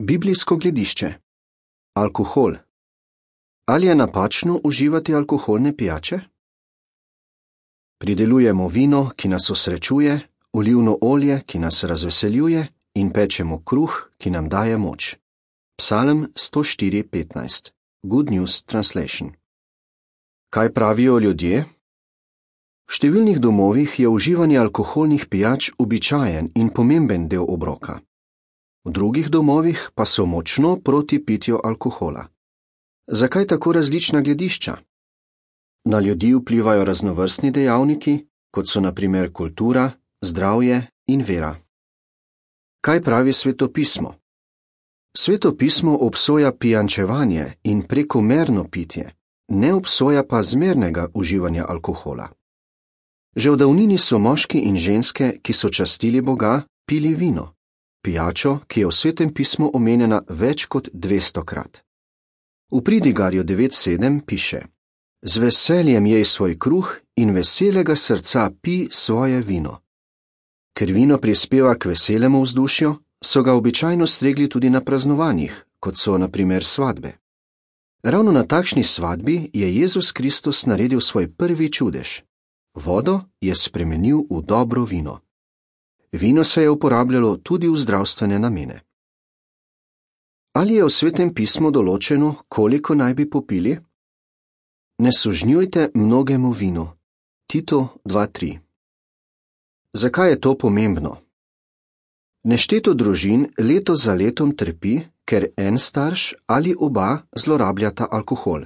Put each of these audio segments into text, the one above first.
Biblijsko gledišče. Alkohol. Ali je napačno uživati alkoholne pijače? Pridelujemo vino, ki nas osrečuje, olivno olje, ki nas razveseljuje, in pečemo kruh, ki nam daje moč. Psalm 104:15. Good News Translation. Kaj pravijo ljudje? V številnih domovih je uživanje alkoholnih pijač običajen in pomemben del obroka. V drugih domovih pa so močno proti pitju alkohola. Zakaj tako različna gledišča? Na ljudi vplivajo raznovrstni dejavniki, kot so na primer kultura, zdravje in vera. Kaj pravi Svetopismo? Svetopismo obsoja pijančevanje in prekomerno pitje, ne obsoja pa zmernega uživanja alkohola. Že v davnini so moški in ženske, ki so častili Boga, pili vino, pijačo, ki je v Svetem pismu omenjena več kot 200-krat. V Pridigarju 9:7 piše: Z veseljem jej svoj kruh in veselega srca pi svoje vino. Ker vino prispeva k veselemu vzdušju, so ga običajno stregli tudi na praznovanjih, kot so na primer svadbe. Ravno na takšni svadbi je Jezus Kristus naredil svoj prvi čudež. Vodo je spremenil v dobro vino. Vino se je uporabljalo tudi v zdravstvene namene. Ali je v Svetem pismu določeno, koliko naj bi popili? Ne sužnjujte mnogemu vinu. Tito 2:3. Zakaj je to pomembno? Nešteto družin leto za letom trpi, ker en starš ali oba zlorabljata alkohol.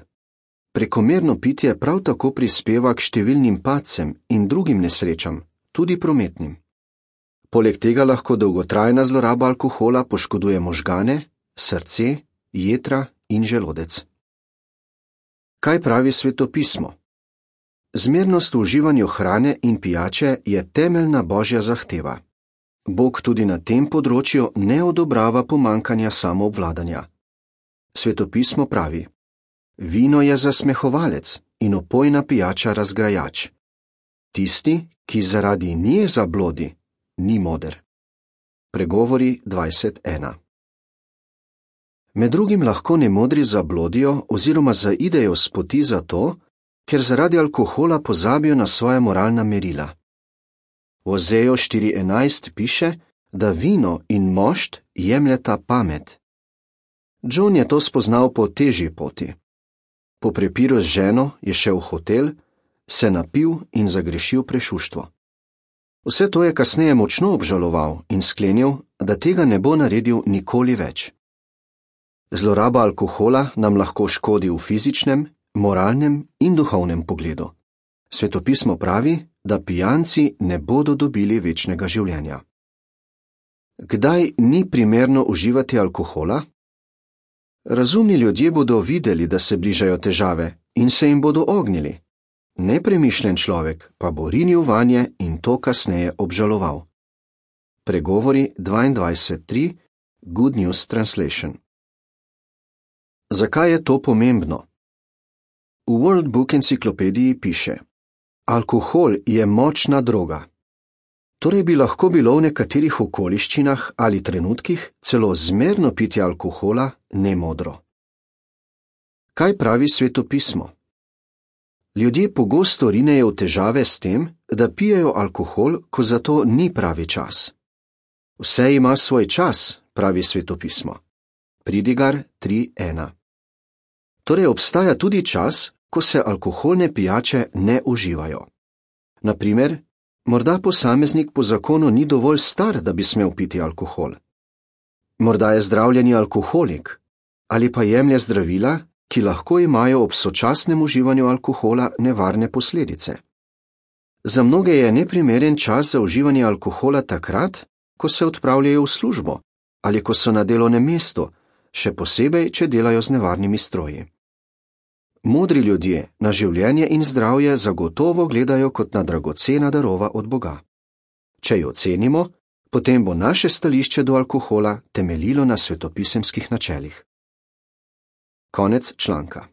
Prekomerno pitje prav tako prispeva k številnim padcem in drugim nesrečam, tudi prometnim. Poleg tega lahko dolgotrajna zloraba alkohola poškoduje možgane, srce, jetra in želodec. Kaj pravi Svetopismo? Zmernost v uživanju hrane in pijače je temeljna božja zahteva. Bog tudi na tem področju ne odobrava pomanjkanja samoobvladanja. Svetopismo pravi: Vino je zasmehovalec in opojna pijača razgrajač. Tisti, ki zaradi nje zablodi, ni moder. Pregovori 20:1. Med drugim lahko nemodri zablodijo oziroma zaidejo s poti zato, ker zaradi alkohola pozabijo na svoja moralna merila. V Ozeju 4:11 piše, da vino in mošt jemljeta pamet. John je to spoznal po težji poti. Po prepiru z ženo je šel v hotel, se napil in zagrešil prešuštvo. Vse to je kasneje močno obžaloval in sklenil, da tega ne bo naredil nikoli več. Zloraba alkohola nam lahko škodi v fizičnem, moralnem in duhovnem pogledu. Svetopismo pravi, da pijanci ne bodo dobili večnega življenja. Kdaj ni primerno uživati alkohola? Razumni ljudje bodo videli, da se bližajo težave in se jim bodo ognili. Nepremišljen človek pa bo rinil vanje in to kasneje obžaloval. Pregovori 22:3. Good News Translation. Zakaj je to pomembno? V World Book enciklopediji piše: Alkohol je močna droga. Torej bi lahko bilo v nekaterih okoliščinah ali trenutkih celo zmerno pitje alkohola nemodro. Kaj pravi Svetopismo? Ljudje pogosto rinejo v težave s tem, da pijejo alkohol, ko za to ni pravi čas. Vse ima svoj čas, pravi Svetopismo. Pridigar 3:1. Torej obstaja tudi čas, ko se alkoholne pijače ne uživajo. Na primer, morda posameznik po zakonu ni dovolj star, da bi smel piti alkohol. Morda je zdravljeni alkoholik ali pa jemlje zdravila, ki lahko imajo ob sočasnem uživanju alkohola nevarne posledice. Za mnoge je neprimeren čas za uživanje alkohola takrat, ko se odpravljajo v službo ali ko so na delovnem mestu, še posebej, če delajo z nevarnimi stroji. Modri ljudje na življenje in zdravje zagotovo gledajo kot na dragocena darova od Boga. Če jo cenimo, potem bo naše stališče do alkohola temeljilo na svetopisemskih načelih. Konec članka.